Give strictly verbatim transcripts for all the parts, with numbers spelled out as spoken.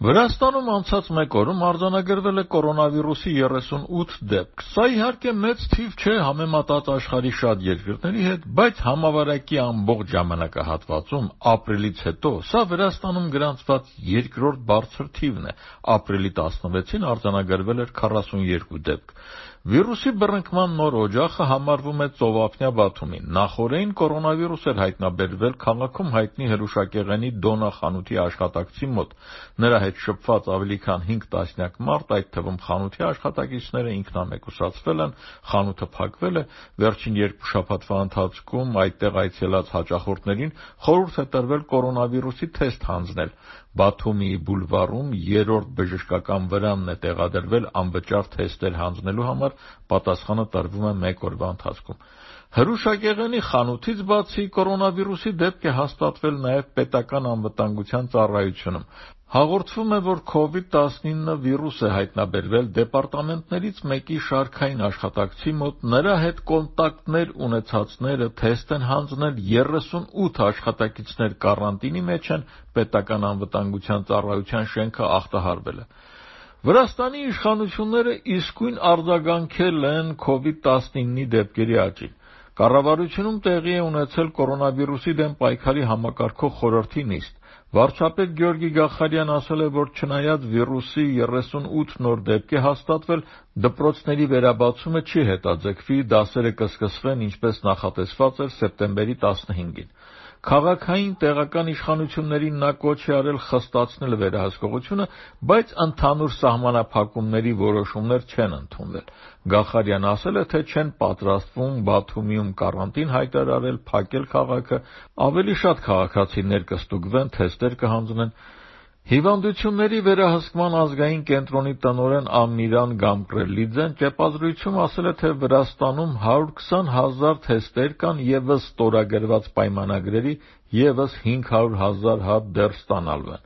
Վրաստանում անցած մեկ օրում արձանագրվել է կորոնավիրուսի երեսունութ դեպք։ Սա իհարկե մեծ թիվ չէ համեմատած աշխարհի շատ երկրների հետ, բայց համավարակի ամբողջ ժամանակահատվածում ապրիլից հետո սա Վրաստանում գրանցված երկրորդ բարձր թիվն է։ Ապրիլի տասնվեցին արձանագրվել էր քառասունյոթ դեպք։ Վիրուսի բռնկման նոր օջախը համարվում է ծովափնյա Բաթումին։ Նախօրեին կորոնավիրուս էր հայտնաբերվել քաղաքում հայտնի հրուշակեղենի Դոնա խանութի աշխատակցի մոտ։ Նրա հետ շփված ավելի քան հինգ տասնյակ մարդ, այդ թվում խանութի աշխատակիցները ինքնամեկուսացվել են, խանութը փակվել է։ Վերջին երկու շաբաթվա ընթացքում այդտեղ այցելած հաճախորդներին խորհուրդ է տրվել կորոնավիրուսի թեստ հանձնել։ Բաթումիի բուլվարում երրորդ բժշկական վրանն է տեղադրվել անվճար թեստեր հանձնելու համար, պատասխանը տրվում է մեկ օրվա ընթացքում։ Հրուշակեղենի խանութից բացի կորոնավիրուսի դեպք է հաստատվել նաև պետական անվտանգության ծառայությունում։ Հաղորդվում է, որ քովիդ տասնինը վիրուս է հայտնաբերվել դեպարտամենտներից մեկի շարքային աշխատակցի մոտ, նրա հետ կոնտակտներ ունեցածները թեստ են հանձնել, երեսունութ աշխատակիցներ կարանտինի մեջ են, պետական անվտանգության ծառայության շենքը ախտահարվել է։ Վրաստանի իշխանությունները իսկույն արձագանքել են քովիդ տասնինի դեպքերի աճին։ Կառավարությունում տեղի է ունեցել կորոնավիրուսի դեմ պայքարի համակարգող խորհրդի նիստ։ Վարչապետ Գյորգի Գախարյանն ասել է, որ չնայած վիրուսի երեսունութ նոր դեպք է հաստատվել, դպրոցների վերաբացումը չի հետաձգվի, դասերը կսկսվեն ինչպես նախատեսված էր սեպտեմբերի տասնհինգին։ Քաղաքային տեղական իշխանություններին նա կոչ է արել խստացնել վերահսկողությունը, բայց ընդհանուր սահմանափակումների որոշումներ չեն ընդունվել։ Գախարյանն ասել է, թե չեն պատրաստվում Բաթումիում կարանտին հայտարարել, փակել քաղաքը, ավելի շատ քաղաքացիներ կստուգվեն, թեստեր կհանձնեն։ Հիվանդությունների վերահսկման ազգային կենտրոնի տնօրեն Ամիրան Գամկրելիձեն ճեպազրույցում ասել է, թե Վրաստանում հարյուր քսան հազար թեստեր կան, ևս ստորագրված պայմանագրերի ևս հինգ հարյուր հազար հատ դեռ ստանալու են։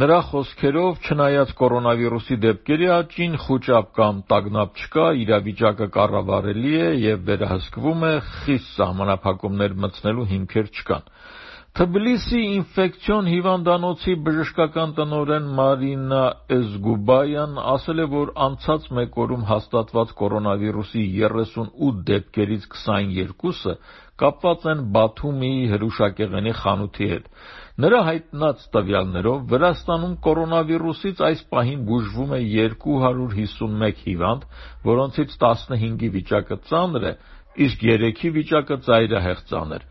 Նրա խոսքերով, չնայած կորոնավիրուսի դեպքերի աճին, խուճապ կամ տագնապ չկա, իրավիճակը կառավարելի է և վերահսկվում է, խիստ սահմանափակումներ մտցնելու հիմքեր չկան։ Թբիլիսի ինֆեկցիոն հիվանդանոցի բժշկական տնօրեն Մարինա Էզգուբայան ասել է, որ անցած մեկ օրում հաստատված կորոնավիրուսի երեսունութ դեպքերից քսաներկուսը կապված են Բաթումիի հրուշակեղենի խանութի հետ։ Նրա հայտնած տվյալներով Վրաստանում կորոնավիրուսից այս պահին բուժվում է երկու հարյուր հիսունմեկ հիվանդ, որոնցից տասնհինգի վիճակը ծանր է, իսկ երեքի վիճակը ծայրահեղ ծանր։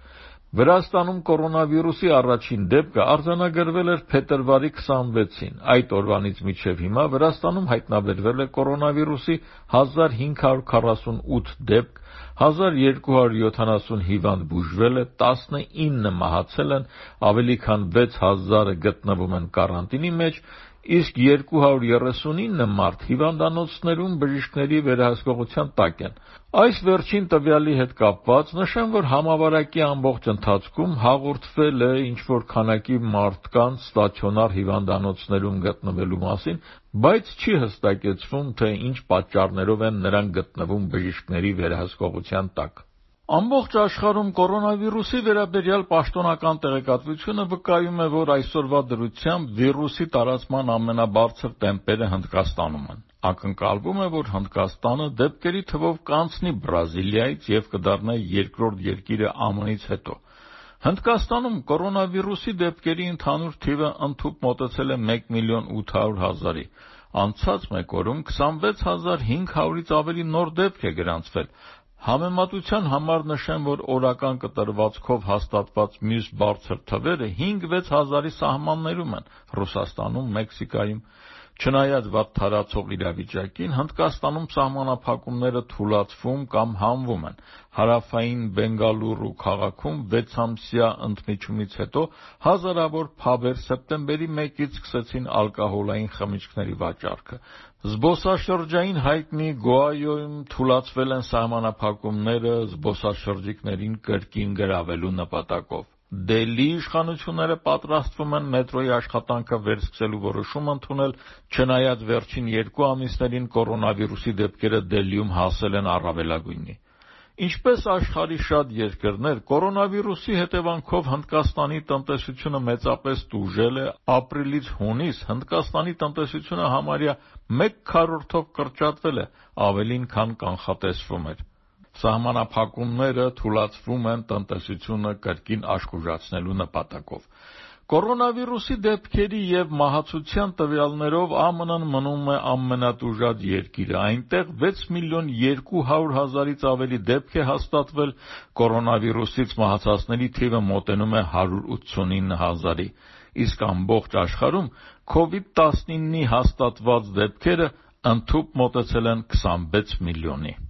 Վրաստանում կորոնավիրուսի առաջին դեպքը արձանագրվել էր փետրվարի քսանվեցին։ Այդ օրվանից մինչև հիմա Վրաստանում հայտնաբերվել է կորոնավիրուսի հազար հինգ հարյուր քառասունութ դեպք, հազար երկու հարյուր յոթանասուն հիվանդ բուժվել է, տասնինը մահացել են, ավելի քան վեց հազարը գտնվում են կարանտինի մեջ, իսկ երկու հարյուր երեսունինը մարդ հիվանդանոցներում բժիշկների վերահսկողության տակ են։ Այս վերջին տվյալի հետ կապված նշեմ, որ համավարակի ամբողջ ընթացքում հաղորդվել է ինչ-որ քանակի մարդկանց ստացիոնար հիվանդանոցներում գտնվելու մասին, բայց չի հստակեցվում, թե ինչ պատճառներով են նրանք գտնվում բժիշկների վերահսկողության տակ։ Ամբողջ աշխարհում կորոնավիրուսի վերաբերյալ պաշտոնական տեղեկատվությունը վկայում է, որ այսօրվա դրությամբ վիրուսի տարածման ամենաբարձր տեմպերը Հնդկաստանում են։ Ակնկալվում է, որ Հնդկաստանը դեպքերի թվով կանցնի Բրազիլիայից և կդառնա երկրորդ երկիրը ԱՄՆ-ից հետո։ Հնդկաստանում կորոնավիրուսի դեպքերի ընդհանուր թիվը ընդհուպ մոտեցել է մեկ միլիոն ութ հարյուր հազարի։ Անցած մեկ օրում քսանվեց հազար հինգ հարյուրից ավելի նոր դեպք է գրանցվել։ Համեմատության համար նշեմ, որ օրական կտրվածքով հաստատված մյուս բարձր թվերը հինգ-վեց հազարի սահմաններում են Ռուսաստանում, Մեքսիկայում։ Չնայած վատ թարացող իրավիճակին, Հնդկաստանում սահմանափակումները թուլացվում կամ հանվում են։ Հարավային Բենգալուրու քաղաքում վեցամսյա ընդմիջումից հետո հազարավոր փաբեր սեպտեմբերի մեկից սկսեցին ալկոհոլային խմիչքների վաճառքը։ Զբոսաշրջային հայտնի Գոայոյում թուլացվել են սահմանափակումները զբոսաշրջիկներին կրկին գրավելու նպատակով։ Դելհի իշխանությունները պատրաստվում են մետրոյի աշխատանքը վերսկսելու որոշում ընդունել, չնայած վերջին երկու ամիսներին կորոնավիրուսի դեպքերը Դելհիում հասել են առավելագույնի։ Ինչպես աշխարհի շատ երկրներ, կորոնավիրուսի հետևանքով Հնդկաստանի տնտեսությունը մեծապես տուժել է, ապրիլից հունիս Հնդկաստանի տնտեսությունը համարյա մեկ քառորդով կրճատվել է, ավելին քան կանխատեսվում էր։ Սահմանափակումները թուլացվում են տնտեսությունը կրկին աշխուժացնելու նպատակով։ Կորոնավիրուսի դեպքերի և մահացության տվյալներով ԱՄՆ-ն մնում է ամենատուժած երկիրը, այնտեղ վեց միլիոն երկու հարյուր հազարից ավելի դեպք է հաստատվել, կորոնավիրուսից մահացածների թիվը մոտենում է հարյուր ութսունինը հազարի, իսկ ամբողջ աշխարհում քովիդ տասնիննի հաստատված դեպքերը ընդհուպ մոտեցել են քսանվեց միլիոնի։